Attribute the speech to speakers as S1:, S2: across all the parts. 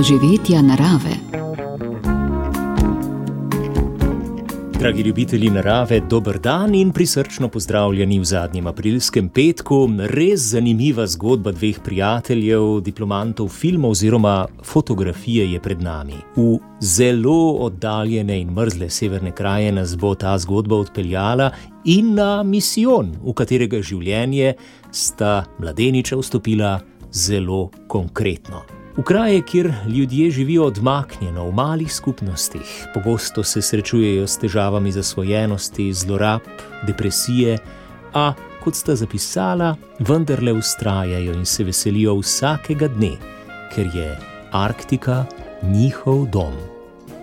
S1: doživetja narave.
S2: Dragi ljubitelji narave, dober dan in prisrčno pozdravljeni v zadnjem aprilskem petku. Res zanimiva zgodba dveh prijateljev, diplomantov filma oziroma fotografije je pred nami. V zelo oddaljene in mrzle severne kraje nas bo ta zgodba odpeljala in na misijon, v katerega življenje sta mladeniča vstopila zelo konkretno. V kraje, kjer ljudje živijo odmaknjeno v malih skupnostih, pogosto se srečujejo s težavami zasvojenosti, zlorab, depresije, a, kot sta zapisala, vendarle vztrajajo in se veselijo vsakega dne, ker je Arktika njihov dom.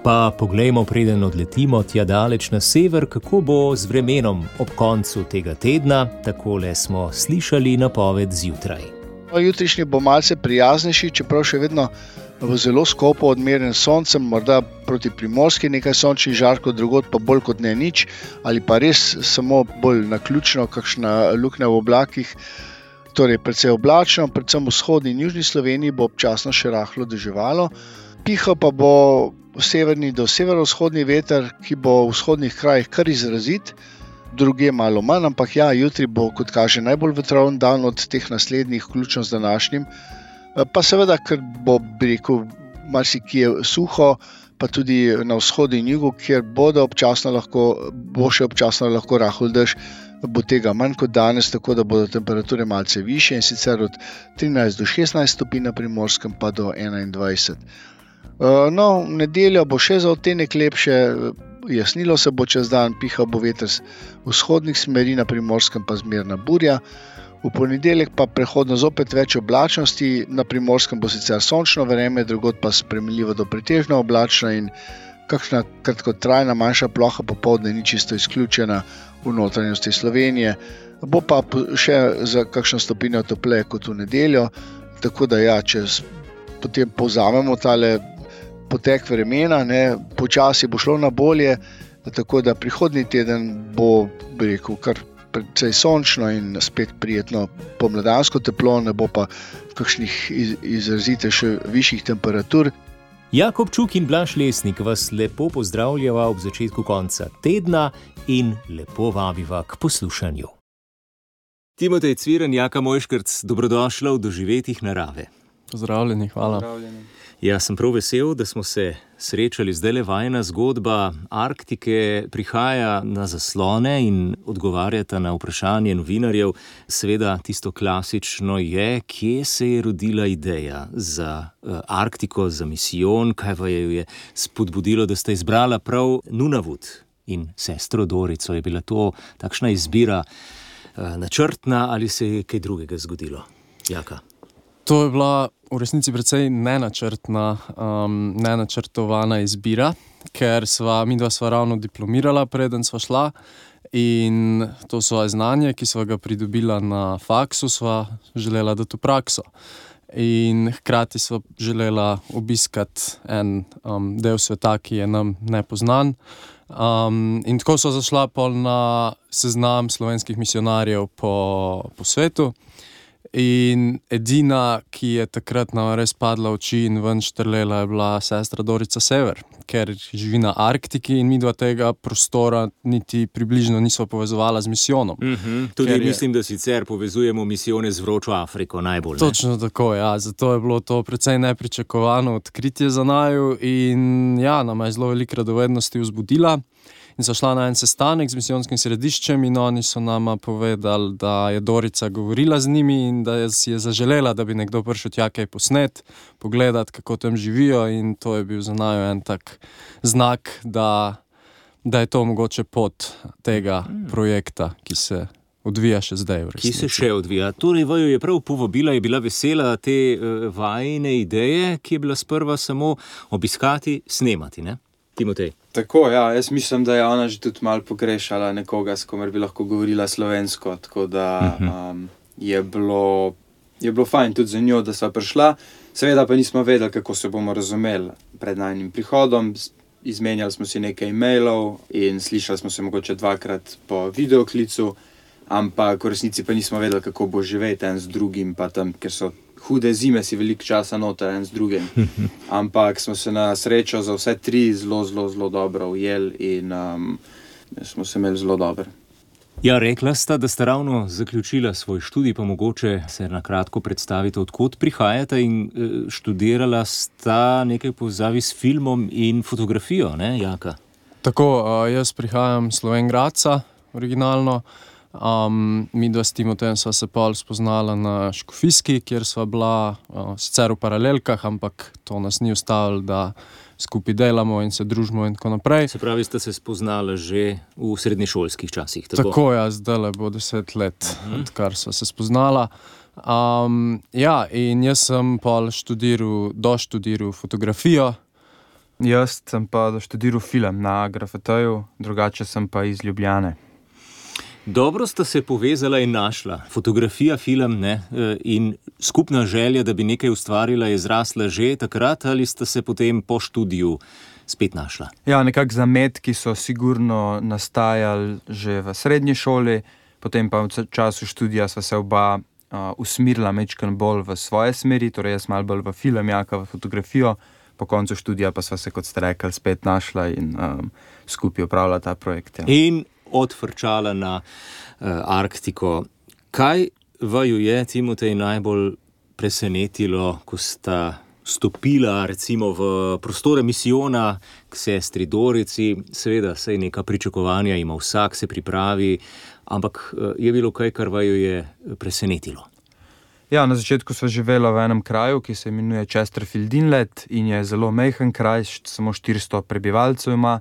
S2: Pa poglejmo, preden odletimo tja daleč na sever, kako bo z vremenom ob koncu tega tedna. Takole smo slišali napoved zjutraj.
S3: Jutrišnji bo malce prijaznejši, čeprav še vedno v zelo skopo odmerjen soncem, morda proti Primorski nekaj sončnih žarkov, drugod pa bolj kot ne nič, ali pa res samo bolj naključno, kakšna luknja v oblakih. Torej, precej oblačno, predvsem v vzhodni in južni Sloveniji bo občasno še rahlo deževalo. Pihal pa bo severni do severovzhodni veter, ki bo v vzhodnih krajih kar izrazit, druge malo manj, ampak ja, jutri bo, kot kaže, najbolj vetroven dan od teh naslednjih, vključno z današnjim. Pa seveda, ker bo, bi rekel, marsikje suho, pa tudi na vzhodu in jugu, kjer bo še občasno lahko rahel dež, bo tega manj kot danes, tako da bodo temperature malce višje, in sicer od 13 do 16 stopinj na Primorskem pa do 21. No, v nedeljo bo še za odtenek lepše, jasnilo se bo čez dan, pihal bo veter z vzhodnih smeri, na Primorskem pa zmerna burja. V ponedeljek pa prehodno zopet več oblačnosti, na Primorskem bo sicer sončno vreme, drugod pa spremenljivo do pretežno oblačno in kakšna kratkotrajna manjša ploha popoldne ni čisto izključena v notranjosti Slovenije. Bo pa še za kakšno stopinjo topleje kot v nedeljo, tako da ja, če potem povzamemo tale potek vremena, počasi bo šlo na bolje, tako da prihodnji teden bo, bi rekel, kar precej sončno in spet prijetno pomladansko teplo, ne bo pa kakšnih izrazite še višjih temperatur.
S2: Jakob Čuk in Blaž Lesnik vas lepo pozdravljava ob začetku konca tedna in lepo vabiva k poslušanju. Timotej Cviren, Jaka Mojškrc, dobrodošla v doživetjih narave.
S4: Pozdravljeni, hvala. Pozdravljeni.
S2: Ja, sem prav vesel, da smo se srečali. Zdajle vajina zgodba Arktike prihaja na zaslone in odgovarjata na vprašanje novinarjev. Seveda tisto klasično je, kje se je rodila ideja za Arktiko, za misijon, kaj pa je spodbudilo, da ste izbrala prav Nunavut in sestro Dorico. Je bila to takšna izbira načrtna ali se je kaj drugega zgodilo? Jaka?
S4: To je bila v resnici precej nenačrtovana izbira, ker midva sva ravno diplomirala, preden sva šla, in to svoje znanje, ki sva ga pridobila na faksu, sva želela dati v prakso. In hkrati sva želela obiskati en del sveta, ki je nam nepoznan. In tako sva zašla pol na seznam slovenskih misionarjev po svetu. In edina, ki je takrat nam res padla v oči in ven štrlela, je bila sestra Dorica Sever, ker živi na Arktiki in midva tega prostora niti približno nisva povezovala z misijonom.
S2: Tudi mislim, da sicer povezujemo misijone z vročo Afriko najbolj.
S4: Točno tako, ja. Zato je bilo to precej nepričakovano odkritje za naju in ja, nama je zelo veliko radovednosti vzbudila. In so šla na en sestanek z misijonskim središčem in oni so nama povedali, da je Dorica govorila z njimi in da si je zaželela, da bi nekdo prišel tja kaj posnet, pogledati, kako tam živijo, in to je bil za naju en tak znak, da je to mogoče pot tega projekta, ki se odvija še zdaj v resnici.
S2: Ki se še odvija. Torej, vaju je prav povabila, je bila vesela te vajine ideje, ki je bila sprva samo obiskati, snemati, ne? Timotej.
S5: Tako, ja, jaz mislim, da je ona že tudi malo pogrešala nekoga, s komer bi lahko govorila slovensko, tako da je bilo fajn tudi za njo, da sva prišla. Seveda pa nismo vedeli, kako se bomo razumeli pred najnim prihodom. Izmenjali smo si nekaj e-mailov in slišali smo se mogoče 2-krat po videoklicu, ampak v resnici pa nismo vedeli, kako bo živeti en z drugim, pa tam, ker so hude zime si veliko časa noter en z drugim. Ampak smo se na srečo za vse tri zelo dobro ujeli in smo se imeli zelo dobro.
S2: Ja, rekla sta, da sta ravno zaključila svoj študij, pa mogoče se na kratko predstavite, odkot prihajate in študirala sta nekaj povezavi s filmom in fotografijo, ne, Jaka?
S4: Tako, jaz prihajam iz Slovenj Gradca, originalno. Midva s Timotejem sva se pol spoznala na Škofijski, kjer sva bila sicer v paralelkah, ampak to nas ni ustavilo, da skupaj delamo in se družimo in tako naprej.
S2: Se pravi, ste se spoznala že v srednješolskih časih, tako?
S4: Tako, ja, zdajle bo 10 let, odkar sva se spoznala. Ja, in jaz sem pol doštudiral fotografijo.
S1: Jaz sem pa doštudiral film na Grafeteju, drugače sem pa iz Ljubljane.
S2: Dobro sta se povezala in našla. Fotografija, film, ne? In skupna želja, da bi nekaj ustvarila, je zrasla že takrat ali sta se potem po študiju spet našla?
S1: Ja, nekako zametki so sigurno nastajali že v srednji šoli, potem pa v času študija sva se oba usmerila majčkeno bolj v svoje smeri, torej jaz malo bolj v film, Jaka v fotografijo, po koncu študija pa sva se, kot ste rekli, spet našla in skupaj opravila ta projekt. Ja.
S2: In odfrčala na Arktiko. Kaj vaju je, Timotej, najbolj presenetilo, ko sta stopila recimo v prostore misijona k sestri Dorici? Seveda, saj neka pričakovanja ima vsak, se pripravi, ampak je bilo kaj, kar vaju je presenetilo?
S1: Ja, na začetku sva živela v enem kraju, ki se imenuje Chesterfield Inlet in je zelo majhen kraj, samo 400 prebivalcev ima.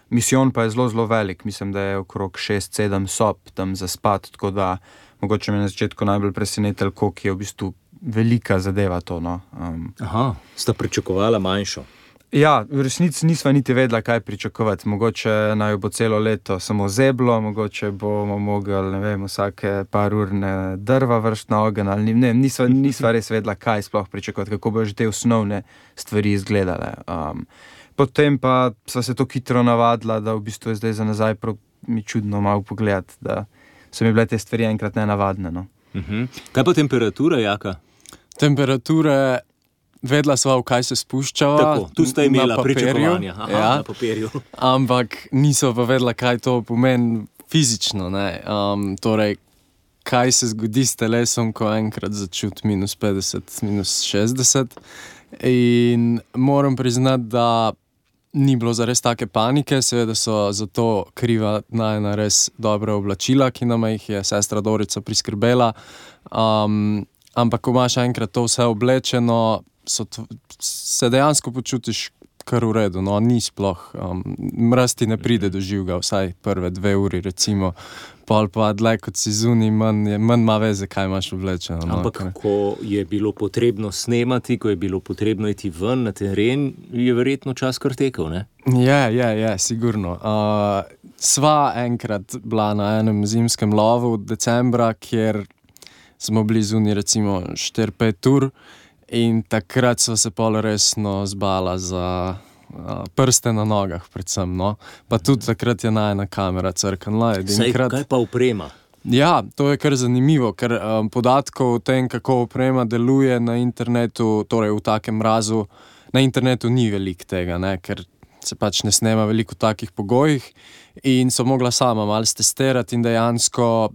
S1: Misijon pa je zelo velik, mislim, da je okrog 6-7 sob tam za spat, tako da mogoče me na začetku najbolj presenetilo, koliko je v bistvu velika zadeva to. No.
S2: Aha, sta pričakovala manjšo?
S1: Ja, v resnici nisva niti vedela, kaj pričakovati. Mogoče naj bo celo leto samo zeblo, mogoče bomo mogli, ne vem, vsake par ur drva vršiti na ogenj, ali ne, nisva res vedela, kaj sploh pričakovati, kako bojo že te osnovne stvari izgledale. Potem pa sva se to hitro navadila, da v bistvu je zdaj za nazaj mi čudno malo pogledati, da so mi bile te stvari enkrat nenavadne. No.
S2: Kaj pa temperatura, Jaka?
S4: Temperature, vedela sva, v kaj se spuščava.
S2: Tako, tu sta imela pričakovanja. Aha, ja. Na papirju.
S4: Ampak niso pa vedela, kaj to pomeni fizično. Ne? Torej, kaj se zgodi s telesom, ko enkrat začuti -50, -60. In moram priznati, da ni bilo zares take panike, seveda so za to kriva najna res dobra oblačila, ki nama jih je sestra Dorica priskrbela. Ampak ko imaš enkrat to vse oblečeno, se dejansko počutiš kar v redu. No, ni sploh, mraz ti ne pride do živega, vsaj prve 2 uri recimo. Pol pa dlje, kot si zunaj, manj ima veze, kaj imaš oblečeno. No,
S2: ampak ko je bilo potrebno snemati, ko je bilo potrebno iti ven na teren, je verjetno čas kar tekel, ne?
S4: Je, sigurno. Sva enkrat bila na enem zimskem lovu decembra, kjer smo bili zunaj recimo 4-5 ur in takrat sva se pol resno zbala za prste na nogah predvsem, no. Pa tudi takrat je najna kamera crknila.
S2: Kaj pa oprema?
S4: Ja, to je kar zanimivo, ker podatkov o tem, kako oprema deluje na internetu, torej v takem mrazu, na internetu ni veliko tega, ne, ker se pač ne snema veliko v takih pogojih in so mogla sama malo stestirati in dejansko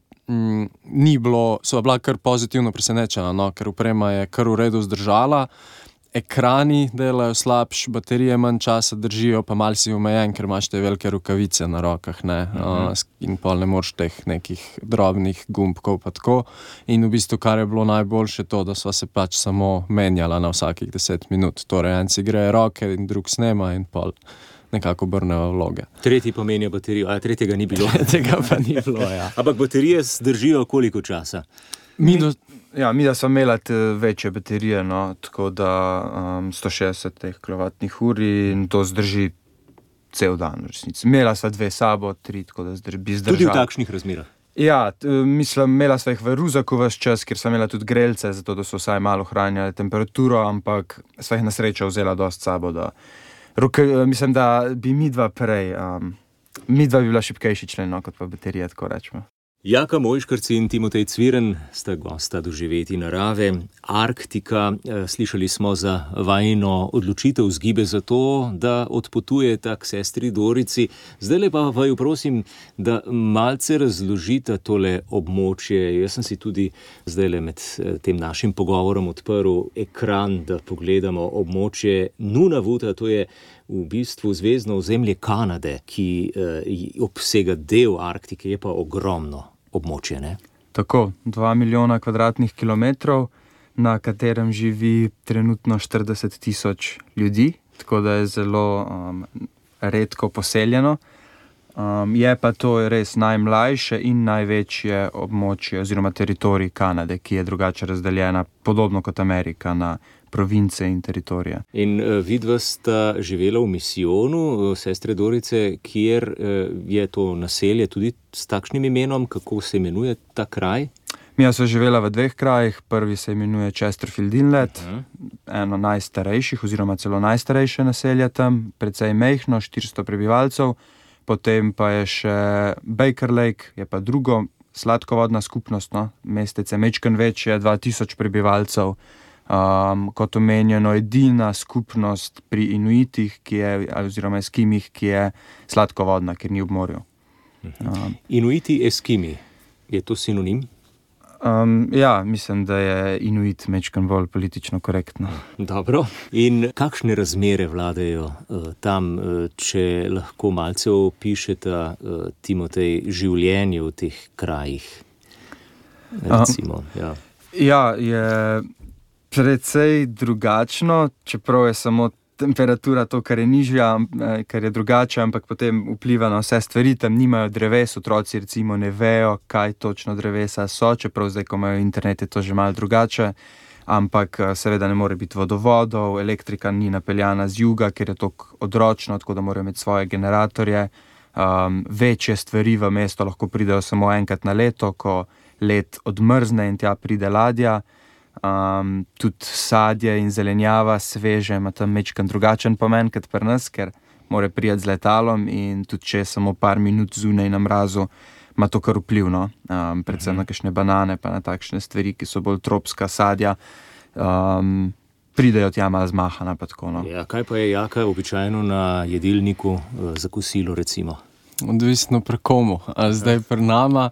S4: sva bila kar pozitivno presenečena, no, ker oprema je kar v redu zdržala. Ekrani delajo slabš, baterije manj časa držijo, pa malo si omejen, ker imaš te velike rokavice na rokah, ne, in pol ne moreš teh nekih drobnih gumbkov pa tako. In v bistvu, kar je bilo najboljše to, da sva se pač samo menjala na vsakih 10 minut. Torej, en si greje roke in drug snema in pol nekako obrneva vloge.
S2: Tretji pomenijo baterijo, a tretjega ni bilo.
S4: Tega pa ni bilo, ja.
S2: Ampak baterije zdržijo koliko časa?
S1: Mi da smo imela večje baterije, no, tako da 160 kWh in to zdrži cel dan v resnici. Imela sva 2 sabo, 3, tako da bi zdržala.
S2: Tudi v takšnih razmerah?
S1: Ja, mislim, imela sva jih v ruzaku ves čas, ker sva imela tudi grelce, zato da so vsaj malo ohranjali temperaturo, ampak sva jih na srečo vzela dosti sabo, da mislim, da bi midva bi bila šibkejši člen, no, kot pa baterija, tako rečemo.
S2: Jaka Mojškrc in Timotej Cviren sta gosta Doživeti narave. Arktika, slišali smo za vajino odločitev zgibe za to, da odpotujeta k sestri Dorici. Zdajle pa vaju prosim, da malce razložite tole območje. Jaz sem si tudi zdajle med tem našim pogovorom odprl ekran, da pogledamo območje Nunavuta, to je v bistvu zvezdno ozemlje Kanade, ki obsega del Arktike, je pa ogromno območje, ne?
S1: Tako, 2 milijona kvadratnih kilometrov, na katerem živi trenutno 40 000 ljudi, tako da je zelo redko poseljeno. Je pa to res najmlajše in največje območje oziroma teritorij Kanade, ki je drugače razdeljena, podobno kot Amerika, na province in teritorije.
S2: In vidva sta živela v misijonu sestre Dorice, kjer je to naselje tudi s takšnim imenom, kako se imenuje ta kraj?
S1: Mija sva živela v 2 krajih, prvi se imenuje Chesterfield Inlet, eno najstarejših oziroma celo najstarejše naselje tam, precej mejhno, 400 prebivalcev, potem pa je še Baker Lake, je pa drugo sladkovodna skupnost, mestece mečken večje, 2000 prebivalcev, kot omenjeno edina skupnost pri Inuitih, oziroma Eskimih, ki je sladkovodna, ker ni ob morju.
S2: Inuiti, Eskimi, je to sinonim?
S1: Ja, mislim, da je Inuit mečken bolj politično korektno.
S2: Dobro. In kakšne razmere vladajo tam, če lahko malce opišete, Timotej, življenje v teh krajih? Recimo,
S1: Ja, je precej drugačno, čeprav je samo temperatura to, kar je nižja, kar je drugače, ampak potem vpliva na vse stvari, tam nimajo dreves, otroci recimo ne vejo, kaj točno drevesa so, čeprav zdaj, ko imajo internet, je to že malo drugače, ampak seveda ne more biti vodovodov, elektrika ni napeljana z juga, ker je to odročno, tako da morajo imeti svoje generatorje, večje stvari v mesto lahko pridejo samo enkrat na leto, ko led odmrzne in tja pride ladja. Tudi sadje in zelenjava sveže ima tam mečkan drugačen pomen kot pri nas, ker mora priti z letalom in tudi če je samo par minut zunaj na mrazu, ima to kar vpliv, predvsem na kakšne banane pa na takšne stvari, ki so bolj tropska sadja, pridejo tja malo zmahana pa tako.
S2: Ja, kaj pa je Jaka običajno na jedilniku za kosilo recimo?
S4: Odvisno pri komu, a zdaj pri nama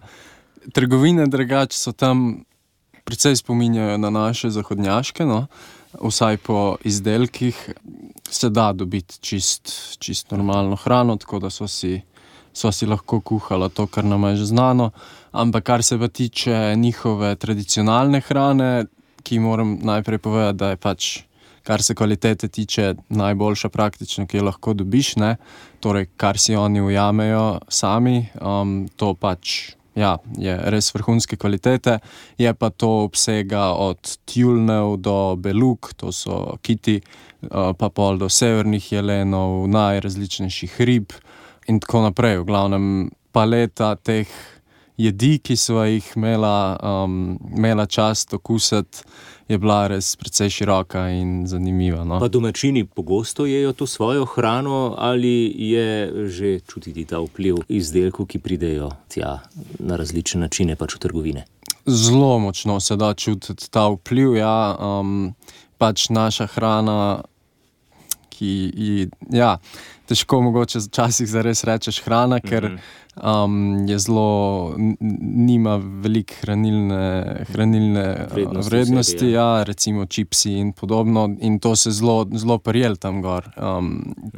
S4: trgovine drugače so tam precej spominjajo na naše zahodnjaške, vsaj po izdelkih se da dobiti čist normalno hrano, tako da sva si lahko kuhala to, kar nam je že znano, ampak kar se pa tiče njihove tradicionalne hrane, ki moram najprej povedati, da je pač, kar se kvalitete tiče, najboljša praktično, ki jo lahko dobiš, ne, torej kar si oni ujamejo sami, to pač je res vrhunske kvalitete, je pa to obsega od tjulnev do beluk, to so kiti, pa pol do severnih jelenov, najrazličnejših rib in tako naprej. V glavnem paleta teh jedi, ki sva jih imela čast okusiti, je bila res precej široka in zanimiva.
S2: Pa domačini pogosto jejo to svojo hrano ali je že čutiti ta vpliv izdelkov, ki pridejo tja na različne načine pač v trgovine?
S4: Zelo močno se da čutiti ta vpliv, pač naša hrana, težko mogoče včasih zares rečeš hrana, ker je zelo, nima veliko hranilne vrednosti, recimo čipsi in podobno, in to se zelo prijel tam gor,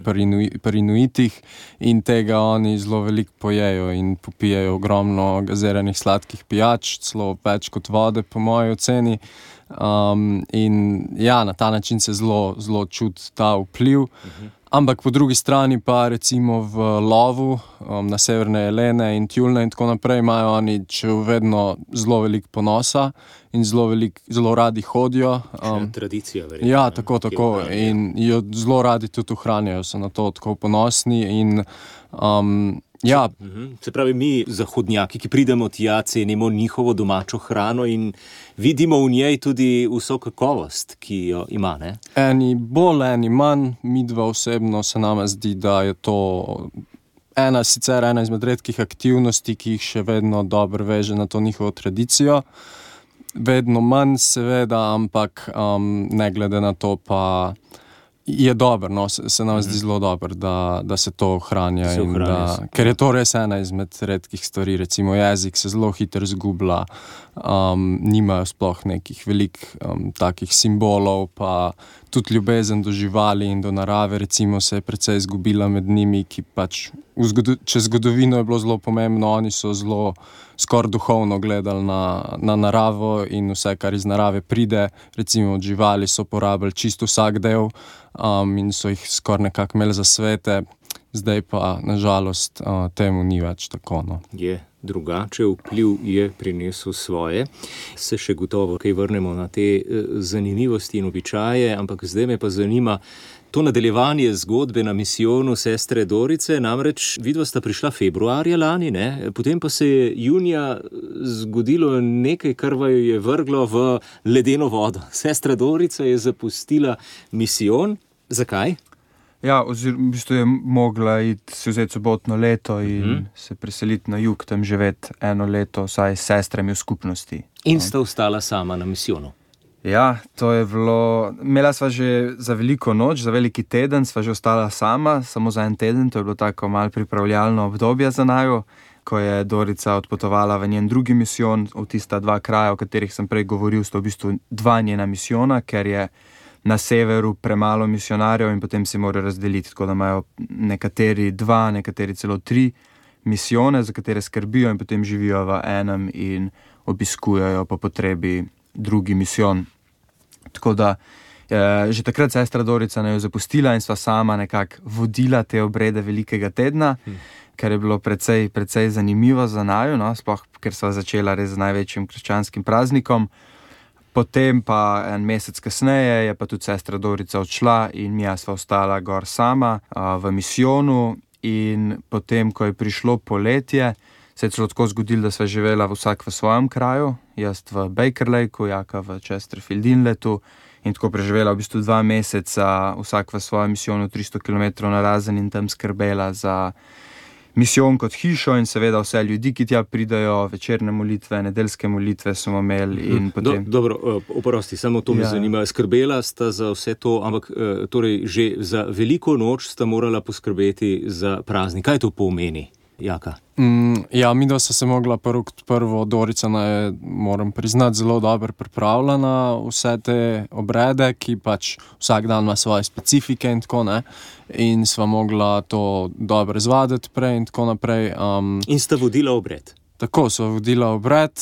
S4: pri Inuitih, in tega oni zelo veliko pojejo in popijejo ogromno gaziranih sladkih pijač, celo več kot vode po moji oceni. In na ta način se zelo čuti ta vpliv. Ampak po drugi strani pa recimo v lovu na severne jelene in tjulne in tako naprej imajo oni vedno zelo veliko ponosa in zelo radi hodijo.
S2: Tradicija, verjetno.
S4: Ja, tako. In jo zelo radi tudi ohranjajo, so na to tako ponosni in
S2: Se pravi, mi zahodnjaki, ki pridemo tja, cenimo njihovo domačo hrano in vidimo v njej tudi vso kakovost, ki jo ima, ne?
S4: Eni bolj, eni manj, midva osebno se nama zdi, da je to sicer ena izmed redkih aktivnosti, ki jih še vedno dobro veže na to njihovo tradicijo. Vedno manj seveda, ampak ne glede na to pa je dobro, no, se nam zdi zelo dobro, da se to ohranja. Ker je to res ena izmed redkih stvari, recimo jezik se zelo hitro izgublja, nimajo sploh nekih takih simbolov, pa tudi ljubezen do živali in do narave recimo se je precej izgubila med njimi, ki pač čez zgodovino je bilo zelo pomembno, oni so zelo skoraj duhovno gledali na naravo in vse, kar iz narave pride, recimo od živali so porabili čisto vsak del in so jih skoraj nekako imeli za svete, zdaj pa nažalost temu ni več tako. No.
S2: Je drugače, vpliv je prinesel svoje. Se še gotovo kaj vrnemo na te zanimivosti in običaje, ampak zdaj me pa zanima to nadaljevanje zgodbe na misijonu sestre Dorice, namreč vidva sta prišla februarja lani, ne? Potem pa se je junija zgodilo nekaj, kar vaju je vrglo v ledeno vodo. Sestra Dorica je zapustila misijon. Zakaj?
S1: Ja, v bistvu je mogla si vzeti sobotno leto in se preseliti na jug, tam živeti 1 leto, vsaj s sestrami v skupnosti.
S2: In sta ostala sama na misijonu.
S1: Ja, to je bilo, imela sva že za veliko noč, za veliki teden, sva že ostala sama, samo za 1 teden, to je bilo tako malo pripravljalno obdobje za naju, ko je Dorica odpotovala v njen drugi misijon, v tista 2 kraja, o katerih sem prej govoril, sta v bistvu 2 njena misijona, ker je na severu premalo misionarjev in potem se morajo razdeliti, tako da imajo nekateri 2, nekateri celo 3 misijone, za katere skrbijo in potem živijo v enem in obiskujejo po potrebi drugi misijon. Tako da že takrat sestra Dorica naj jo zapustila in sva sama nekako vodila te obrede velikega tedna, kar je bilo precej zanimivo za naju, no, sploh ker sva začela res z največjim krščanskim praznikom. Potem pa 1 mesec kasneje je pa tudi sestra Dorica odšla in mi sva ostala gor sama v misijonu in potem, ko je prišlo poletje, se je celo tako zgodilo, da sva živela vsak v svojem kraju, jaz v Baker Lakeu, Jaka v Chesterfield Inletu in tako preživela v bistvu 2 meseca vsak v svojem misijonu 300 km narazen in tam skrbela za misijon kot hišo in seveda vse ljudi, ki tja pridajo, večerne molitve, nedeljske molitve smo imeli in potem...
S2: Dobro, oprosti, samo to me zanima. Skrbela sta za vse to, ampak torej že za veliko noč sta morala poskrbeti za praznik. Kaj to pomeni, Jaka?
S4: Ja, midva sta se mogla prvo Dorica moram priznati, zelo dobro pripravila na vse te obrede, ki pač vsak dan ima svoje specifike in tako, ne. In sva mogla to dobro izvaditi prej in tako naprej.
S2: In sta vodila obred?
S4: Tako, sva vodila obred.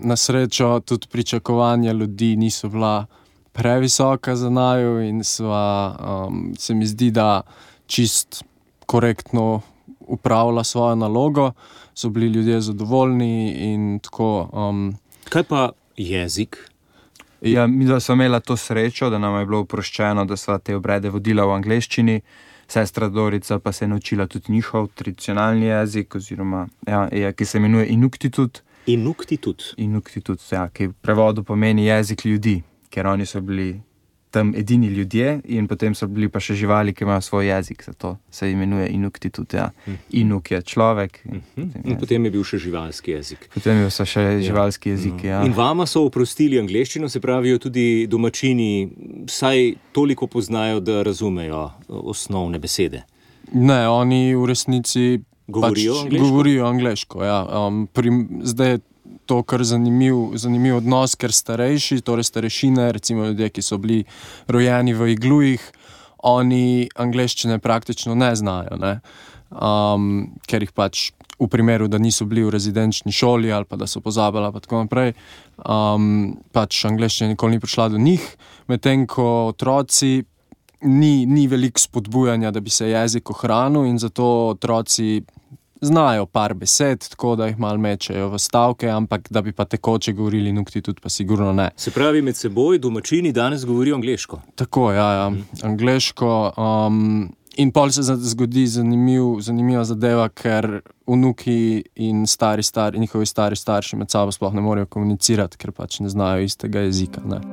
S4: Na srečo tudi pričakovanja ljudi niso bila previsoka za naju in se mi zdi, da čist korektno upravila svojo nalogo, so bili ljudje zadovoljni in tako.
S2: Kaj pa jezik?
S1: Ja, mi da smo imela to srečo, da nam je bilo oproščeno, da sva te obrede vodila v angleščini, sestra Dorica pa se je naučila tudi njihov tradicionalni jezik, oziroma, ki se imenuje Inuktitut.
S2: Inuktitut?
S1: Inuktitut, ja, ki v prevodu pomeni jezik ljudi, ker oni so bili tam edini ljudje in potem so bili pa še živali, ki imajo svoj jezik, zato se imenuje Inuktitut, ja. Inuk je človek.
S2: In potem je bil še živalski jezik.
S1: Potem je še živalski jezik, ja.
S2: In vama so oprostili angleščino, se pravijo tudi domačini, saj toliko poznajo, da razumejo osnovne besede?
S4: Ne, oni v resnici govorijo angleško, ja. Zdaj je to kar zanimiv odnos, ker starejši, torej starešine, recimo ljudje, ki so bili rojeni v iglujih, oni angleščine praktično ne znajo, ne. Ker jih pač v primeru, da niso bili v rezidenčni šoli ali pa da so pozabili pa tako naprej, pač angleščina nikoli ni prišla do njih, medtem ko otroci ni veliko spodbujanja, da bi se jezik ohranil in zato otroci znajo par besed, tako da jih malo mečejo v stavke, ampak da bi pa tekoče govorili Inuktitut, pa sigurno ne.
S2: Se pravi, med seboj domačini danes govorijo angleško? Tako,
S4: ja, angleško. In pol se zgodi zanimiva zadeva, ker vnuki in njihovi stari starši med sabo sploh ne morejo komunicirati, ker pač ne znajo istega jezika, ne.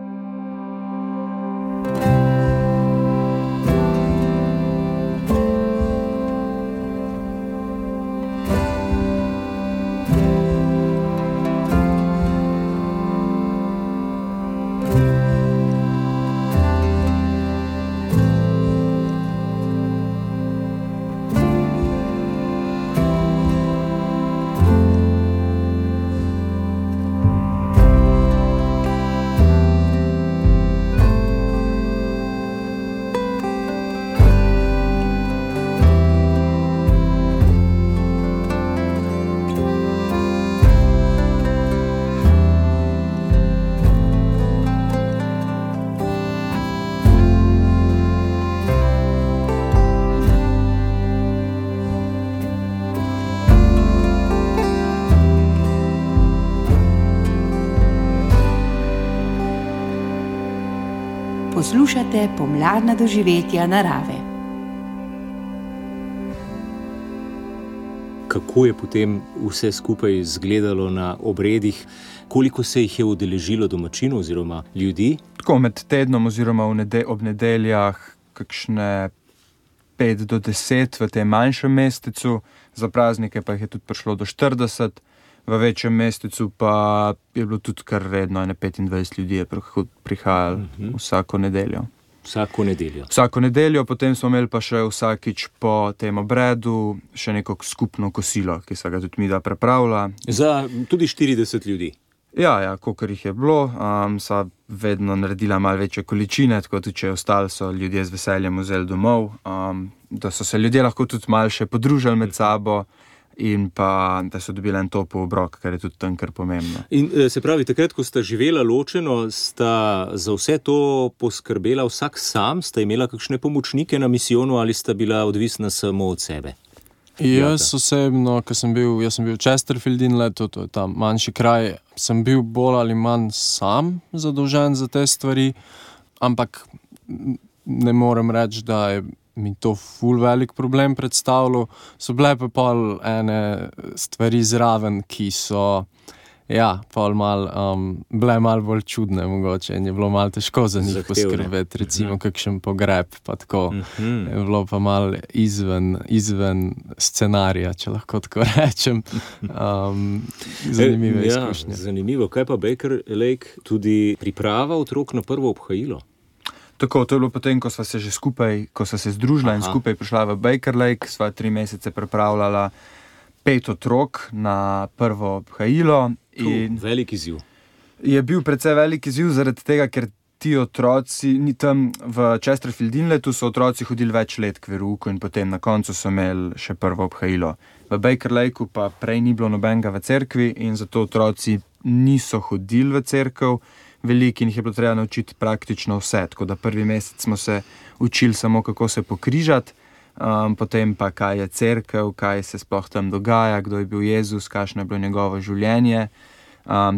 S6: Poslušate pomladna doživetja narave.
S2: Kako je potem vse skupaj izgledalo na obredih? Koliko se jih je udeležilo domačinov oziroma ljudi?
S1: Tako med tednom oziroma ob nedeljah kakšne 5 do 10 v tem manjšem mestecu, za praznike pa jih je tudi prišlo do 40, v večjem mestecu pa je bilo tudi kar redno, 25 ljudi je prihajalo vsako nedeljo. Vsako nedeljo, potem smo imeli pa še vsakič po tem obredu še neko skupno kosilo, ki se ga tudi mi da pripravlja.
S2: Za tudi 40 ljudi?
S1: Ja, kolikor jih je bilo, sva vedno naredila malo večje količine, tako tudi če je ostalo, so ljudje z veseljem vzeli domov, da so se ljudje lahko tudi malo še podružili med sabo in pa da so dobili en topel obrok, kar je tudi tam kar pomembno.
S2: In se pravi, takrat, ko sta živela ločeno, sta za vse to poskrbela vsak sam, sta imela kakšne pomočnike na misijonu ali sta bila odvisna samo od sebe?
S4: Jaz osebno, jaz sem bil v Chesterfield Inletu, to je tam manjši kraj, sem bil bolj ali manj sam zadolžen za te stvari, ampak ne morem reči, da je mi to ful velik problem predstavljalo. So bile pa pol ene stvari zraven, ki so pol bile malo bolj čudne mogoče in je bilo malo težko za njih poskrbeti, recimo kakšen pogreb, pa tako. Je bilo pa malo izven scenarija, če lahko tako rečem. Zanimive izkušnje.
S2: Zanimivo. Kaj pa Baker Lake, tudi priprava otrok na prvo obhajilo?
S1: Tako, to je bilo potem, ko sva se že skupaj, ko sva se združila in skupaj prišla v Baker Lake, sva 3 mesece pripravljala 5 otrok na prvo obhajilo.
S2: Velik izziv.
S1: Je bil precej velik izziv zaradi tega, ker ti otroci, tam v Chesterfield Inletu so otroci hodili več let k verouku in potem na koncu so imeli še prvo obhajilo. V Baker Lakeu pa prej ni bilo nobenega v cerkvi in zato otroci niso hodili v cerkev, veliki in jih je bilo treba naučiti praktično vse, tako da prvi mesec smo se učili samo, kako se pokrižati, potem pa kaj je cerkev, kaj se sploh tam dogaja, kdo je bil Jezus, kakšno je bilo njegovo življenje.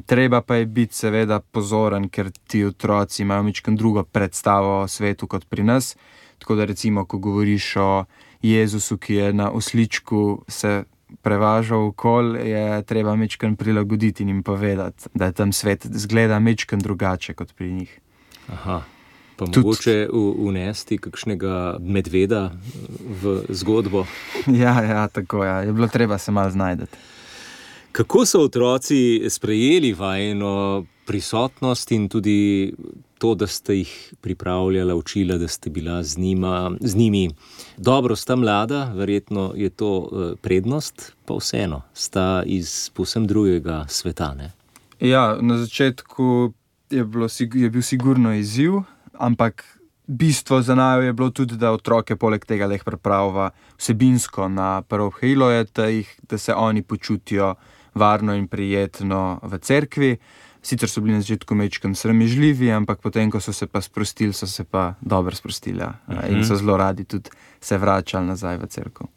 S1: Treba pa je biti seveda pozoren, ker ti otroci imajo majčkeno drugo predstavo o svetu kot pri nas, tako da recimo, ko govoriš o Jezusu, ki je na osličku se prevažal okol, je treba majčkeno prilagoditi in jim povedati, da je tam svet zgleda majčkeno drugače kot pri njih.
S2: Aha. Pa mogoče unesti kakšnega medveda v zgodbo?
S1: Ja, tako je bilo treba se malo znajdeti.
S2: Kako so otroci sprejeli vajino prisotnost in tudi to, da ste jih pripravljala, učila, da ste bila z njimi? Dobro, sta mlada, verjetno je to prednost, pa vseeno, sta iz povsem drugega sveta, ne?
S1: Ja, na začetku je bil sigurno izziv, ampak bistvo za naju je bilo tudi, da otroke poleg tega jih pripravlja vsebinsko na prvo obhajilo, da se oni počutijo varno in prijetno v cerkvi. Sicer so bili na začetku majčkeno sramežljivi, ampak potem, ko so se pa sprostili, so se pa dobro sprostili in so zelo radi tudi se vračali nazaj v cerkev.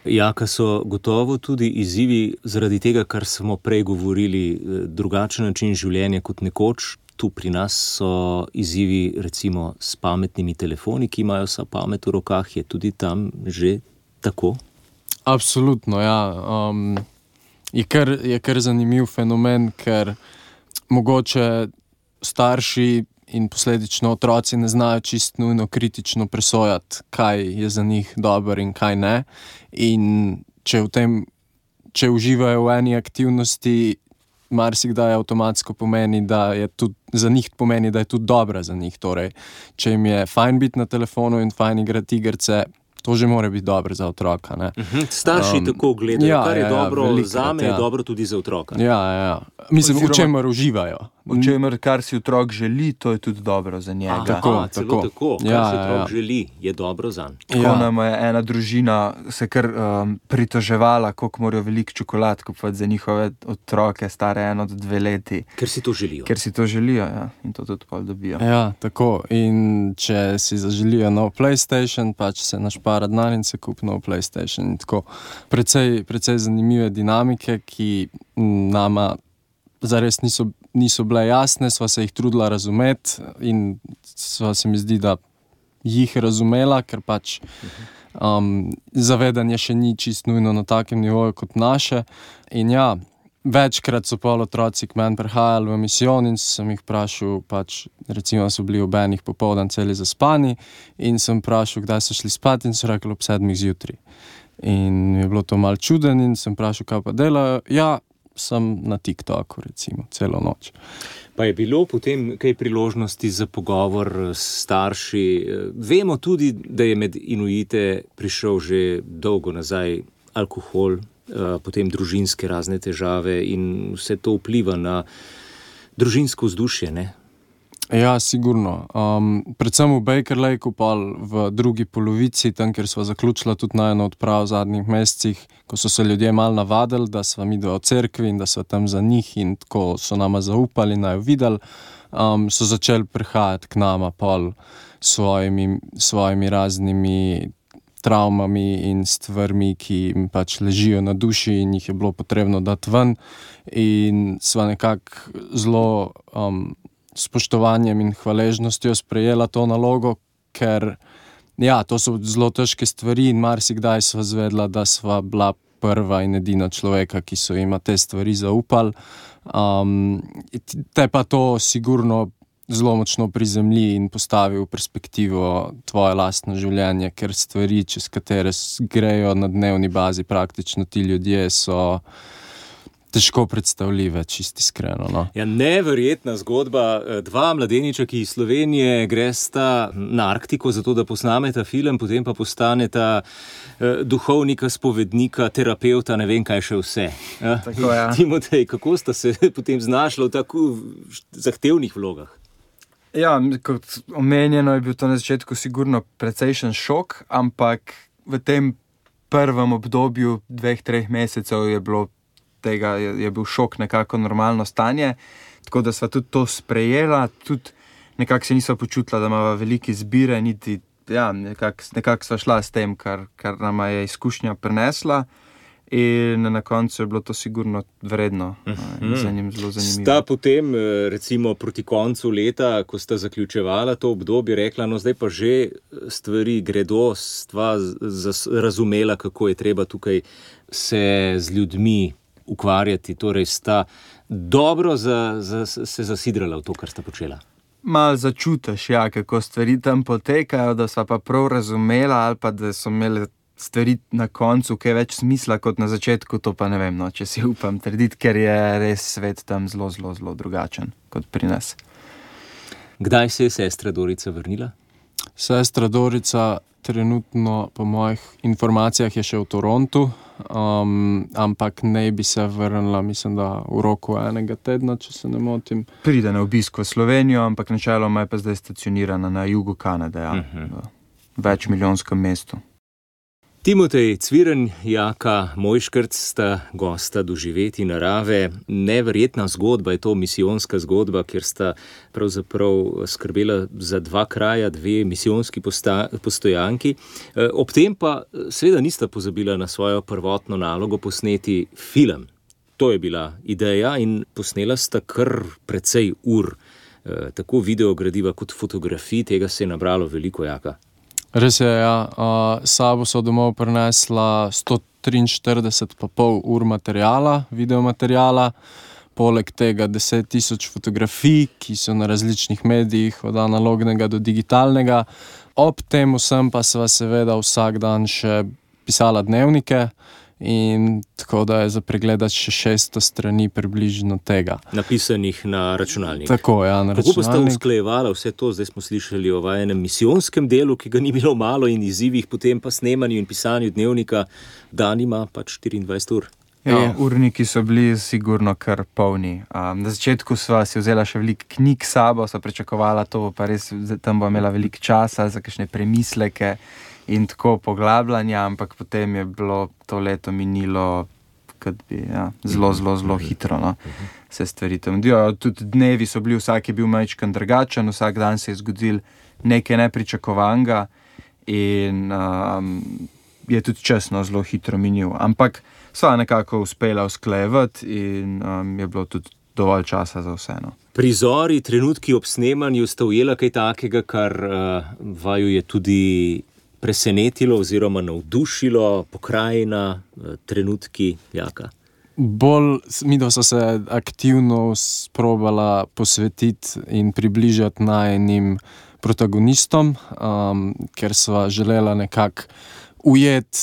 S2: Jaka so gotovo tudi izzivi zaradi tega, kar smo prej govorili, drugačen način življenja kot nekoč. Tu pri nas so izzivi recimo s pametnimi telefoni, ki imajo vsa pamet v rokah. Je tudi tam že tako?
S4: Absolutno, ja. Je kar zanimiv fenomen, ker mogoče starši in posledično otroci ne znajo čisto nujno kritično presojati, kaj je za njih dobro in kaj ne. In če uživajo v eni aktivnosti, marsikdaj avtomatsko pomeni, da je tudi za njih pomeni, da je tudi dobra za njih. Torej, če jim je fajn biti na telefonu in fajn igrati igrice, to že mora biti dobro za otroka, ne?
S2: Starši tako gledajo, kar je dobro zame, je dobro tudi za otroka.
S4: Ja. Mislim, v čemer uživajo.
S1: V čemer, kar si otrok želi, to je tudi dobro za njega.
S2: Tako. Kar si otrok želi, je dobro zanj.
S1: Tako nam je ena družina se kar pritoževala, koliko morajo veliko čokolad kupovati za njihove otroke, stare 1 do 2 leti.
S2: Ker si to želijo.
S1: Ker si to želijo, ja. In to tudi pol dobijo.
S4: Ja, tako. In če si zaželijo nov PlayStation, pa če se našpara denar in se kupi nov PlayStation. In tako precej zanimive dinamike, ki nama zares niso niso bile jasne, sva se jih trudila razumeti in sva se mi zdi, da jih razumela, ker pač zavedanje še ni čist nujno na takem nivoju kot naše. In ja, večkrat so pol otroci k meni prihajali v misijon in sem jih vprašal, pač recimo so bili ob 1 popoldan celi zaspani in sem vprašal, kdaj so šli spat in so rekli ob 7 zjutraj. In je bilo to malo čuden in sem vprašal, kaj pa delajo. Ja, sem na TikToku recimo celo noč.
S2: Pa je bilo potem kaj priložnosti za pogovor s starši? Vemo tudi, da je med Inuite prišel že dolgo nazaj alkohol, potem družinske razne težave in vse to vpliva na družinsko vzdušje, ne?
S4: Ja, sigurno. Predvsem v Baker Lakeu pa v drugi polovici, tam, kjer sva zaključila tudi najno odprav v zadnjih mesecih, ko so se ljudje malo navadili, da sva midva v cerkvi in da sva tam za njih in tako so nama zaupali, naj jo videli, so začeli prihajati k nama pol svojimi raznimi travmami in stvarmi, ki jim pač ležijo na duši in jih je bilo potrebno dati ven. In sva nekako zelo spoštovanjem in hvaležnostjo sprejela to nalogo, ker ja, to so zelo težke stvari in marsikdaj sva zvedla, da sva bila prva in edina človeka, ki so jima te stvari zaupali. Te pa to sigurno zelo močno prizemlji in postavi v perspektivo tvoje lastno življenje, ker stvari, čez katere grejo na dnevni bazi praktično ti ljudje, so težko predstavljive, čisto iskreno. No.
S2: Ja, neverjetna zgodba. 2 mladeniča, ki iz Slovenije gresta na Arktiko, zato da posnameta film, potem pa postaneta duhovnika, spovednika, terapeuta, ne vem kaj še vse.
S1: Tako, ja.
S2: Timotej, kako sta se potem znašla v tako zahtevnih vlogah?
S1: Ja, kot omenjeno je bil to na začetku sigurno precejšen šok, ampak v tem prvem obdobju 2-3 mesecev je bil šok nekako normalno stanje, tako da sva tudi to sprejela, tudi nekako se nisva počutila, da imava velike izbire, niti nekako sva šla s tem, kar nama je izkušnja prinesla. In na koncu je bilo to sigurno vredno in za njim zelo zanimivo.
S2: Sta potem, recimo proti koncu leta, ko sta zaključevala to obdobje, rekla, no zdaj pa že stvari gredo, stva razumela, kako je treba tukaj se z ljudmi ukvarjati, torej sta dobro se zasidrala v to, kar sta počela.
S1: Malo začutiš, ja, kako stvari tam potekajo, da sva pa prav razumela ali pa da so imeli stvari na koncu kaj več smisla kot na začetku, to pa ne vem, no, če si upam trditi, ker je res svet tam zelo, zelo, zelo drugačen kot pri nas.
S2: Kdaj se je sestra Dorica vrnila?
S4: Sestra Dorica trenutno, po mojih informacijah, je še v Torontu, ampak ne bi se vrnila, mislim, da v roku 1 tedna, če se ne motim.
S1: Pride na obisk v Slovenijo, ampak načeloma je pa zdaj stacionirana na jugu Kanade, ja, v večmilijonskem mestu.
S2: Timotej Cviren, Jaka Mojškrc sta gosta Doživeti narave. Neverjetna zgodba je to, misijonska zgodba, kjer sta pravzaprav skrbela za 2 kraja, 2 misijonski postojanki. Ob tem pa seveda nista pozabila na svojo prvotno nalogo posneti film. To je bila ideja in posnela sta kar precej ur. Tako videogradiva kot fotografij, tega se je nabralo veliko, Jaka.
S4: Res je, ja. Sabo so domov prinesla 143,5 ur materijala, videomaterijala, poleg tega 10,000 fotografij, ki so na različnih medijih, od analognega do digitalnega. Ob tem vsem pa sva seveda vsak dan še pisala dnevnike in tako da je za pregledati še 600 strani približno tega.
S2: Napisanih na računalnik.
S4: Tako, ja, na računalnik.
S2: Kako pa sta usklajevala vse to? Zdaj smo slišali o vajenem misijonskem delu, ki ga ni bilo malo, in izzivih, potem pa snemanju in pisanju dnevnika. Dan ima pač 24 ur.
S1: Ja, urniki so bili sigurno kar polni. Na začetku sva si vzela še veliko knjig sabo, sva pričakovala to, pa res tam bo imela veliko časa za kakšne premisleke in tako poglabljanja, ampak potem je bilo to leto minilo zelo, zelo, zelo hitro, no. Se stvari tam dijo. Tudi dnevi so bili, vsak je bil majčkan drugačen, vsak dan se je zgodil nekaj nepričakovanega in je tudi časno zelo hitro minil. Ampak sva nekako uspela usklajevati in je bilo tudi dovolj časa za vse. No.
S2: Prizori, trenutki ob snemanju sta ujela kaj takega, kar vaju je tudi presenetilo oziroma navdušilo, pokrajina, trenutki, Jaka?
S4: Midva so se aktivno sprobala posvetiti in približati najinim protagonistom, ker sva želela nekako ujeti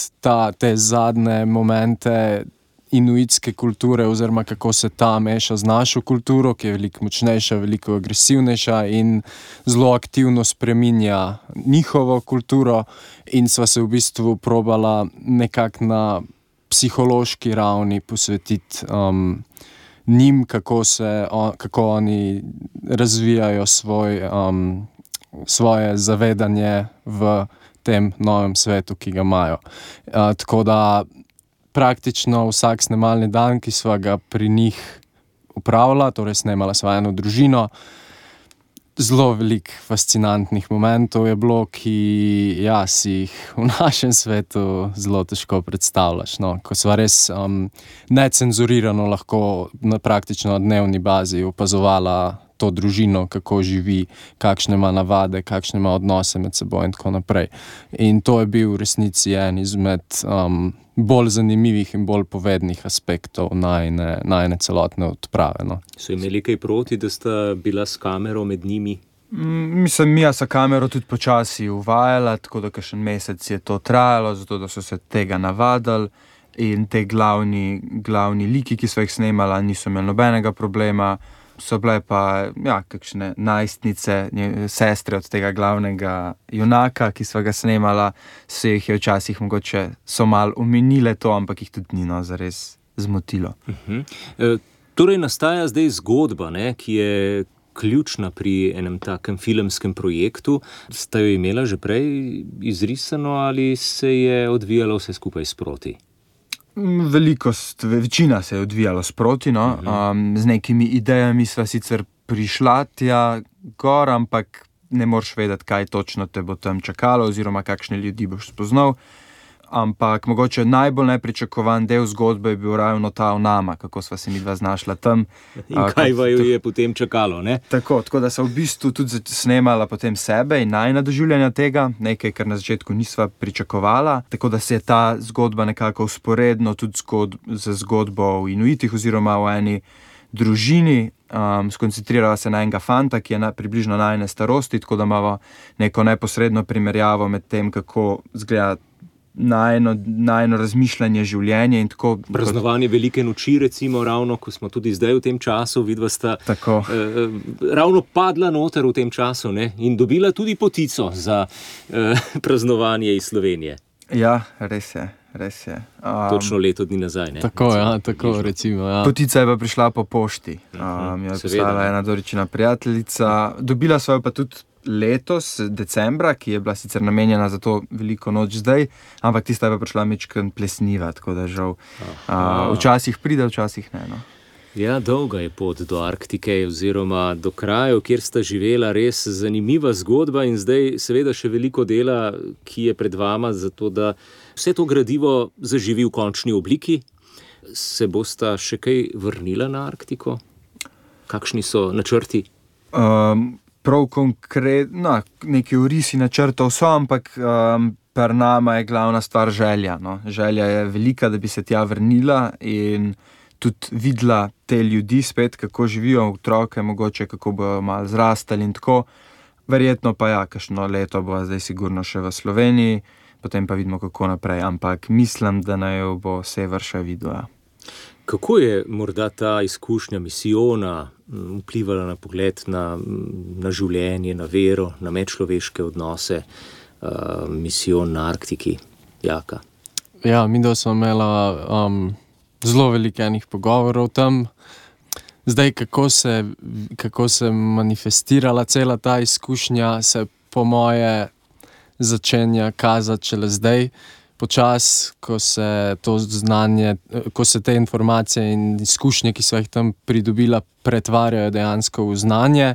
S4: te zadnje momente inuitske kulture oziroma kako se ta meša z našo kulturo, ki je veliko močnejša, veliko agresivnejša in zelo aktivno spreminja njihovo kulturo, in sva se v bistvu probala nekako na psihološki ravni posvetiti njim, kako oni razvijajo svoje zavedanje v tem novem svetu, ki ga imajo. Tako da praktično vsak snemalni dan, ki sva ga pri njih upravila, torej snemala sva eno družino, zelo veliko fascinantnih momentov je bilo, ki si jih v našem svetu zelo težko predstavljaš. No? Ko sva res necenzurirano lahko praktično na dnevni bazi opazovala to družino, kako živi, kakšne ima navade, kakšne ima odnose med seboj in tako naprej. In to je bil v resnici en izmed bolj zanimivih in bolj povednih aspektov najine celotne odprave. No.
S2: So imeli kaj proti, da sta bila s kamero med njimi?
S1: Mislim, Mija sa kamero tudi počasi uvajala, tako da kakšen mesec je to trajalo, zato da so se tega navadili, in te glavni liki, ki so jih snemala, niso imeli nobenega problema. So bile pa kakšne najstnice, sestre od tega glavnega junaka, ki sva ga snemala, se jih je včasih mogoče so malo omenile to, ampak jih tudi ni zares zmotilo.
S2: Torej nastaja zdaj zgodba, ki je ključna pri enem takem filmskem projektu. Sta jo imela že prej izrisano ali se je odvijalo vse skupaj sproti?
S1: Večina se je odvijala sproti, no. Z nekimi idejami sva sicer prišla tja gor, ampak ne moreš vedeti, kaj točno te bo tam čakalo oziroma kakšne ljudi boš spoznal. Ampak mogoče najbolj nepričakovan del zgodbe je bil ravno ta o nama, kako sva se midva znašla tam.
S2: In kaj vaju je potem čakalo, ne?
S1: Tako da sva v bistvu tudi snemala potem sebe in najina doživljanja tega, nekaj, kar na začetku nisva pričakovala. Tako da se je ta zgodba nekako vzporedno tudi z zgodbo o Inuitih oziroma o eni družini skoncentrirala se na enega fanta, ki je približno najine starosti, tako da imamo neko neposredno primerjavo med tem, kako izgleda najino razmišljanje, življenje in tako.
S2: Praznovanje velike noči, recimo, ravno, ko smo tudi zdaj v tem času, vidva sta ravno padla noter v tem času, ne? In dobila tudi potico za praznovanje iz Slovenije.
S1: Ja, res je.
S2: Točno leto dni nazaj, ne?
S4: Tako recimo, ja.
S1: Potica je pa prišla po pošti. Je poslala ena Doričina prijateljica. Dobila sva jo pa tudi letos, decembra, ki je bila sicer namenjena za to veliko noč zdaj, ampak tista je pa prišla mečken plesniva, tako da žal včasih pride, včasih ne. No.
S2: Ja, dolga je pot do Arktike oziroma do krajev, kjer sta živela, res zanimiva zgodba in zdaj seveda še veliko dela, ki je pred vama, zato da vse to gradivo zaživi v končni obliki. Se bosta še kaj vrnila na Arktiko? Kakšni so načrti?
S1: Prav konkretno, neki orisi načrtov so, ampak pri nama je glavna stvar želja. No. Želja je velika, da bi se tja vrnila in tudi videla te ljudi spet, kako živijo, otroke, mogoče kako bojo malo zrastali in tako. Verjetno pa kakšno leto bo zdaj sigurno še v Sloveniji, potem pa vidimo, kako naprej, ampak mislim, da naj jo bo sever še videla.
S2: Kako je morda ta izkušnja misijona vplivala na pogled na življenje, na vero, na medčloveške odnose, misijon na Arktiki, Jaka?
S4: Ja, midva smo imela zelo veliko enih pogovorov tam. Zdaj, kako se manifestirala cela ta izkušnja, se po moje začenja kazati šele zdaj. Počas, ko se to znanje, ko se te informacije in izkušnje, ki so jih tam pridobila, pretvarjajo dejansko v znanje,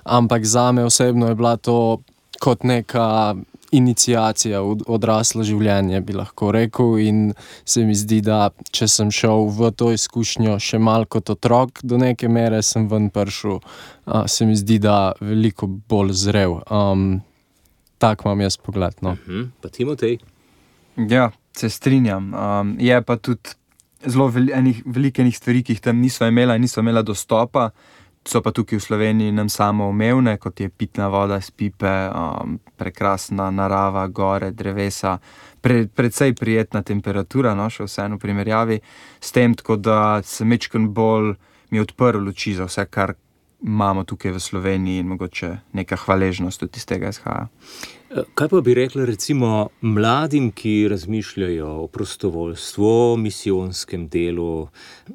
S4: ampak zame osebno je bila to kot neka iniciacija v odraslo življenje, bi lahko rekel, in se mi zdi, da če sem šel v to izkušnjo še malo kot otrok, do neke mere sem ven prišel, se mi zdi, da veliko bolj zrel. Tak imam jaz pogled, no.
S2: Pa Timotej?
S1: Ja, se strinjam. Je pa tudi zelo veliko enih stvari, ki jih tam niso imela dostopa, so pa tukaj v Sloveniji nam samoumevne, kot je pitna voda iz pipe, prekrasna narava, gore, drevesa, precej prijetna temperatura, no, še vseeno v primerjavi s tem, tako da se majčkeno bolj mi odprl oči za vse, kar imamo tukaj v Sloveniji in mogoče neka hvaležnost tudi iz tega izhaja.
S2: Kaj pa bi rekli recimo mladim, ki razmišljajo o prostovoljstvu, o misijonskem delu?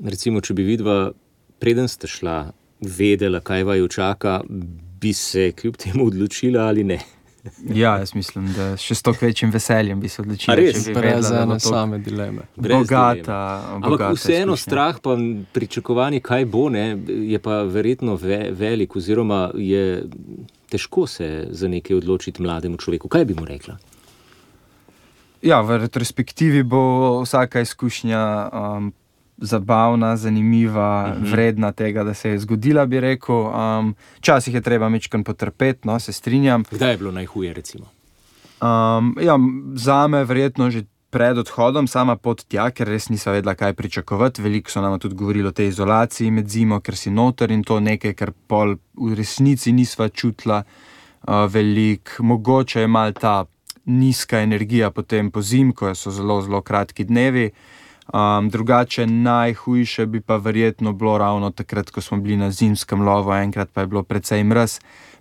S2: Recimo, če bi vidva, preden ste šla, vedela, kaj vaju čaka, bi se kljub temu odločila ali ne?
S1: Ja, jaz mislim, da še s toliko večjim veseljem bi se odločila.
S2: A res?
S1: Če bi
S4: Brez
S1: vedela,
S4: ene same dileme.
S1: Bogata
S2: Ampak vseeno
S1: izkušnja.
S2: strah pa pričakovanje, kaj bo, ne, je pa verjetno velik, oziroma je težko se za nekaj odločiti mlademu človeku. Kaj bi mu rekla?
S1: Ja, v retrospektivi bo vsaka izkušnja zabavna, zanimiva, vredna tega, da se je zgodila, bi rekel. Včasih je treba majčkeno potrpeti, no, se strinjam.
S2: Kdaj je bilo najhuje, recimo?
S1: Ja, zame verjetno že pred odhodom, sama pot tja, ker res nisem vedela, kaj pričakovati. Veliko so nam tudi govorili o tej izolaciji med zimo, ker si noter in to nekaj, kar pol v resnici nisva čutila veliko. Mogoče je malo ta nizka energija potem po zim, ko so zelo, zelo kratki dnevi. Drugače najhujše bi pa verjetno bilo ravno takrat, ko smo bili na zimskem lovu, enkrat pa je bilo precej mraz,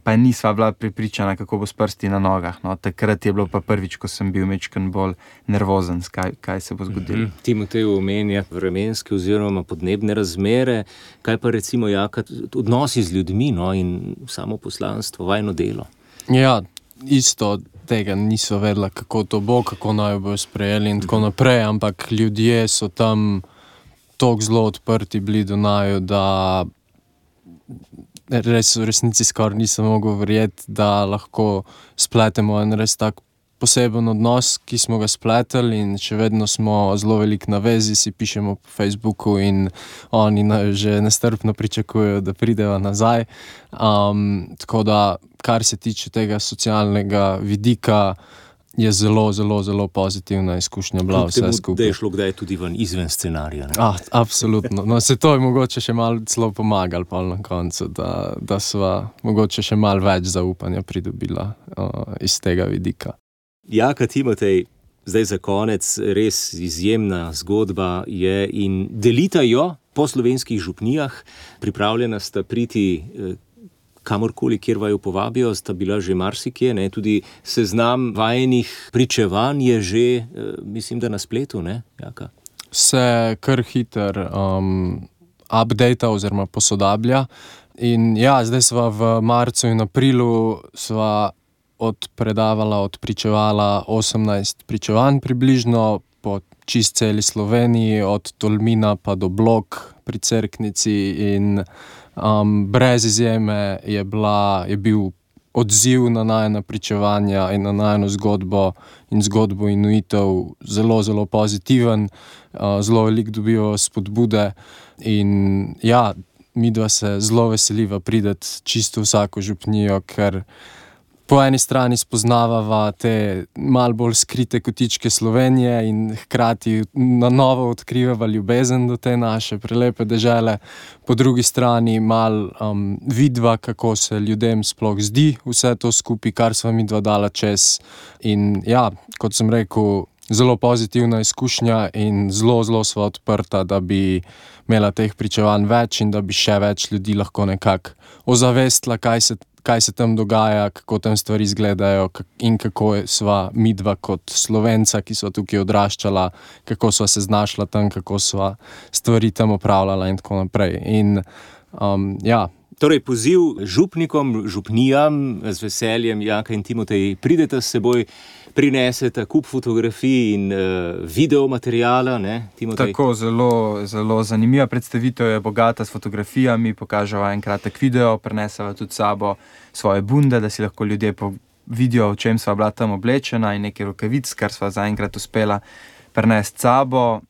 S1: pa nisva bila prepričana, kako bo s prsti na nogah. No, takrat je bilo pa prvič, ko sem bil majčkeno bolj nervozen, kaj se bo zgodilo.
S2: Timotej omenja vremenske oziroma podnebne razmere. Kaj pa recimo, Jaka, odnosi z ljudmi, no, in samo poslanstvo, vajno delo?
S4: Ja, isto tega niso vedela, kako to bo, kako naj bojo sprejeli in tako naprej, ampak ljudje so tam toliko zelo odprti bili do naju, da res v resnici skoraj nisem mogel verjeti, da lahko spletemo en res tak poseben odnos, ki smo ga spletali, in še vedno smo zelo veliko na vezi, si pišemo po Facebooku in oni že nestrpno pričakujejo, da prideva nazaj. Tako da, kar se tiče tega socialnega vidika, je zelo, zelo, zelo pozitivna izkušnja bila vse skupaj.
S2: Da je šlo kdaj tudi ven izven scenarija, ne?
S4: Absolutno. No, se to je mogoče še malo celo pomagali pol na koncu, da sva mogoče še malo več zaupanja pridobila iz tega vidika.
S2: Jaka, Timotej, zdaj za konec, res izjemna zgodba je in delita jo po slovenskih župnijah. Pripravljena sta priti kamorkoli, kjer vaju povabijo, sta bila že marsikje, ne? Tudi seznam vajenih pričevanj je že, mislim, da na spletu, ne, Jaka?
S4: Se kar hiter updata oziroma posodablja. In ja, zdaj sva v marcu in aprilu sva odpričevala 18 pričevanj približno po čist celi Sloveniji, od Tolmina pa do Blok pri Cerknici, in brez izjeme je bil odziv na najina pričevanja in na najino zgodbo in zgodbo Inuitov zelo, zelo pozitiven, zelo veliko dobijo spodbude in ja, midva se zelo veseliva prideti čisto vsako župnijo, ker po eni strani spoznavava te malo bolj skrite kotičke Slovenije in hkrati na novo odkrivava ljubezen do te naše prelepe dežele. Po drugi strani malo vidva, kako se ljudem sploh zdi vse to skupaj, kar sva midva dala čez. In ja, kot sem rekel, zelo pozitivna izkušnja in zelo, zelo sva odprta, da bi imela teh pričevanj več in da bi še več ljudi lahko nekako ozavestila, kaj se tam dogaja, kako tam stvari izgledajo in kako sva midva kot Slovenca, ki sva tukaj odraščala, kako sva se znašla tam, kako sva stvari tam opravljala in tako naprej. In ja.
S2: Torej, poziv župnikom, župnijam, z veseljem, Jaka in Timotej, pridete s seboj, prinesete kup fotografij in videomateriala, ne, Timotej?
S1: Tako, zelo, zelo zanimiva predstavitev je, bogata s fotografijami, pokaževa en kratek video, prineseva tudi sabo svoje bunde, da si lahko ljudje vidijo, v čem sva bila tam oblečena in nekaj rokavic, kar sva zaenkrat uspela prenesti sabo.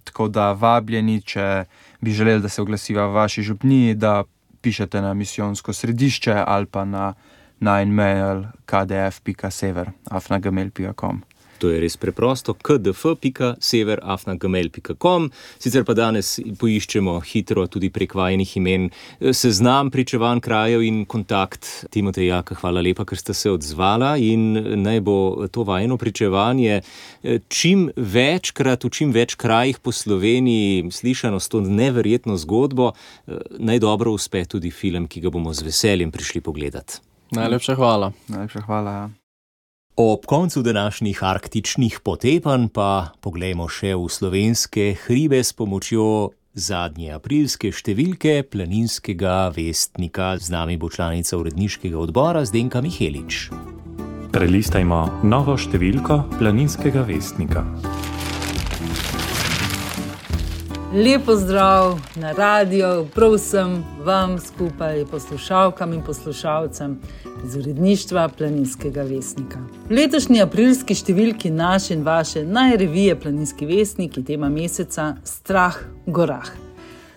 S1: Tako da vabljeni, če bi želeli, da se oglasiva v vaši župniji, da pišete na misijonsko središče ali pa na e-mail kdf.sever@gmail.com.
S2: To je res preprosto, kdf.sever@gmail.com. Sicer pa danes poiščemo hitro tudi prek vajinih imen seznam pričevanj krajev in kontakt. Timotej, Jaka, hvala lepa, ker ste se odzvala in naj bo to vajino pričevanje čim večkrat v čim več krajih po Sloveniji slišano s to neverjetno zgodbo. Naj dobro uspe tudi film, ki ga bomo z veseljem prišli pogledati.
S4: Najlepša hvala.
S1: Najlepša hvala, ja.
S2: Ob koncu današnjih arktičnih potepanj pa poglejmo še v slovenske hribe s pomočjo zadnje aprilske številke Planinskega vestnika. Z nami bo članica uredniškega odbora Zdenka Mihelič.
S7: Prelistajmo novo številko Planinskega vestnika.
S8: Lep pozdrav na radio, prav vsem vam skupaj, poslušalkam in poslušalcem iz uredništva Planinskega vestnika. V letošnji aprilski številki naše in vaše najrevije Planinski vestnik je tema meseca Strah v gorah.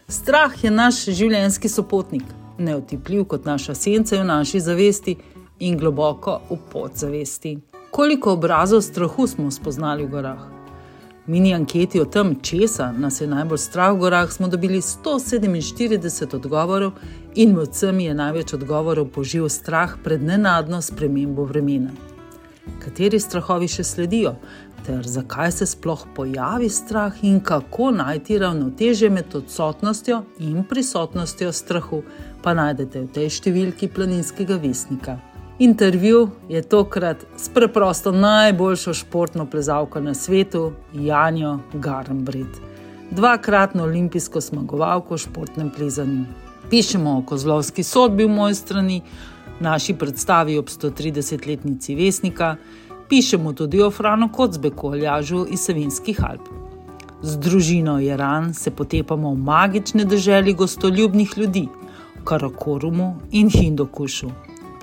S8: Strah je naš življenjski sopotnik, neotipljiv kot naša senca v naši zavesti in globoko v podzavesti. Koliko obrazov strahu smo spoznali v gorah? V mini anketi o tem, česa nas je najbolj strah v gorah, smo dobili 147 odgovorov in med vsemi je največ odgovorov požil strah pred nenadno spremembo vremena. Kateri strahovi še sledijo, ter zakaj se sploh pojavi strah in kako najti ravnotežje med odsotnostjo in prisotnostjo strahu, pa najdete v tej številki Planinskega vestnika. Intervju je tokrat s preprosto najboljšo športno plezalko na svetu, Janjo Garnbret, dvakratno olimpijsko zmagovalko v športnem plezanju. Pišemo o kozlovski sodbi v Mojstrani, naši predstavi ob 130-letnici Vestnika, pišemo tudi o Franu Kocbeku, aljažu iz Savinjskih Alp. Z družino Jeran se potepamo v magične deželi gostoljubnih ljudi, v Karakorumu in Hindukušu.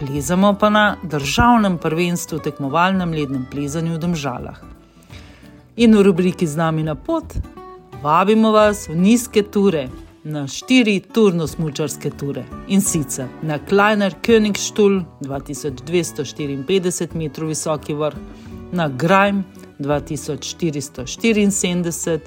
S8: Plezamo pa na državnem prvenstvu v tekmovalnem lednem plezanju v Domžalah. In v rubriki Z nami na pot vabimo vas v nizke ture, na 4 turno-smučarske ture. In sicer na Kleiner Königstuhl, 2254 metrov visoki vrh, na Grajm, 2474,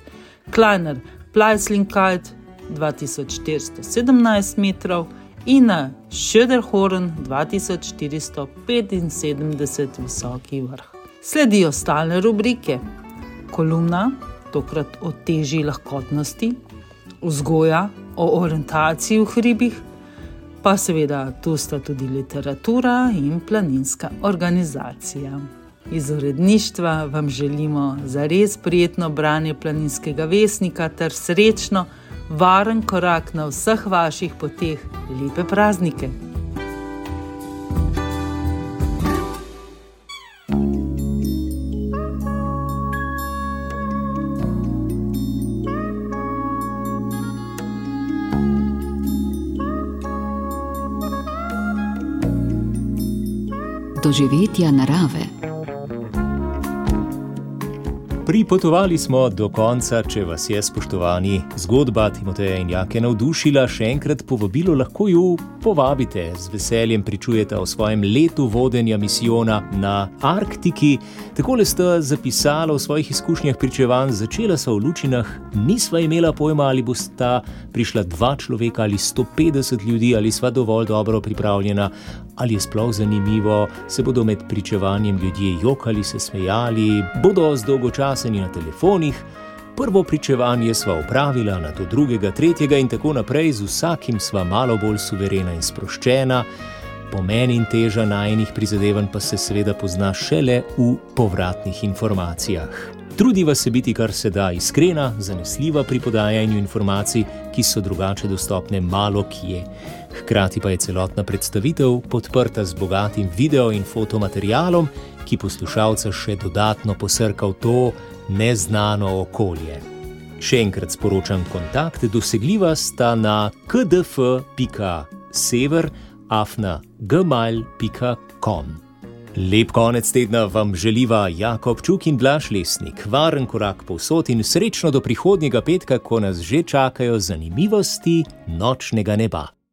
S8: Kleiner Pleißlingkeit, 2417 metrov, in na Schöderhorn, 2475 visoki vrh. Sledijo stalne rubrike. Kolumna, tokrat o težji lahkotnosti, vzgoja o orientaciji v hribih, pa seveda tu sta tudi literatura in planinska organizacija. Iz uredništva vam želimo zares prijetno branje Planinskega vestnika ter srečno, varen korak na vseh vaših poteh. Lepe praznike!
S6: Doživetja narave.
S2: Pripotovali smo do konca. Če vas je, spoštovani, zgodba Timoteja in Jake navdušila, še enkrat povabilo, lahko ju povabite. Z veseljem pričujete o svojem letu vodenja misijona na Arktiki. Takole sta zapisala v svojih izkušnjah pričevanj: začela sva v Lučinah, nisva imela pojma, ali bosta prišla 2 človeka ali 150 ljudi, ali sva dovolj dobro pripravljena, ali je sploh zanimivo, se bodo med pričevanjem ljudje jokali, se smejali, bodo zdolgočaseni na telefonih. Prvo pričevanje sva opravila, nato drugega, tretjega in tako naprej, z vsakim sva malo bolj suverena in sproščena. Pomen in teža najinih prizadevanj pa se seveda pozna šele v povratnih informacijah. Trudiva se biti kar se da iskrena, zanesljiva pri podajanju informacij, ki so drugače dostopne malo kje. Hkrati pa je celotna predstavitev podprta z bogatim video in fotomaterialom, ki poslušalca še dodatno posrka v to neznano okolje. Še enkrat sporočam kontakt, dosegljiva sta na kdf.sever@gmail.com. Lep konec tedna vam želiva Jakob Čuk in Blaž Lesnik. Varen korak povsod in srečno do prihodnjega petka, ko nas že čakajo zanimivosti nočnega neba.